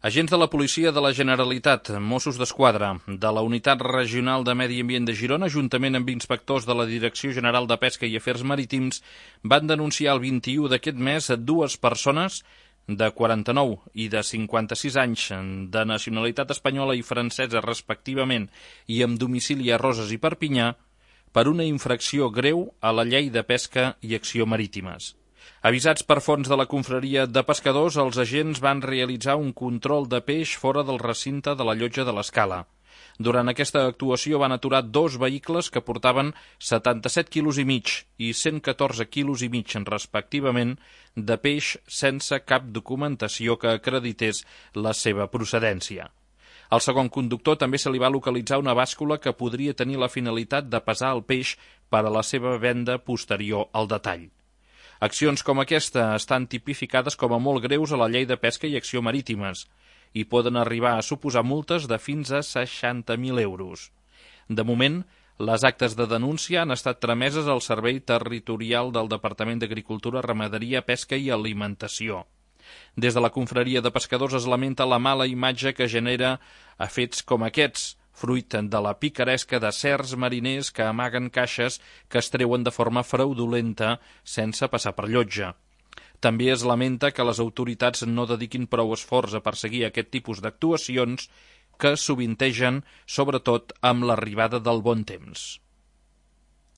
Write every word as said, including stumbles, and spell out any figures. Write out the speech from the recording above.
Agents de la Policia de la Generalitat, Mossos d'Esquadra, de la Unitat Regional de Medi Ambient de Girona, juntament amb inspectors de la Direcció General de Pesca i Afers Marítims, van denunciar el vint-i-u d'aquest mes dues persones de quaranta-nou i de cinquanta-sis anys, de nacionalitat espanyola i francesa respectivament, i amb domicili a Roses i Perpinyà, per una infracció greu a la Llei de Pesca i Acció Marítimes. Avisats per fons de la confraria de pescadors, els agents van realitzar un control de peix fora del recinte de la llotja de l'Escala. Durant aquesta actuació van aturar dos vehicles que portaven setanta-set quilos i mig i cent catorze quilos i mig, respectivament, de peix sense cap documentació que acredités la seva procedència. Al segon conductor també se li va localitzar una bàscula que podria tenir la finalitat de pesar el peix per a la seva venda posterior al detall. Accions com aquesta estan tipificades com a molt greus a la Llei de Pesca i Acció Marítimes i poden arribar a suposar multes de fins a seixanta mil euros. De moment, les actes de denúncia han estat trameses al Servei Territorial del Departament d'Agricultura, Ramaderia, Pesca i Alimentació. Des de la confraria de pescadors es lamenta la mala imatge que genera a fets com aquests, fruit de la picaresca de certs mariners que amaguen caixes que es treuen de forma fraudulenta sense passar per llotja. També es lamenta que les autoritats no dediquin prou esforç a perseguir aquest tipus d'actuacions que sovintegen, sobretot amb l'arribada del bon temps.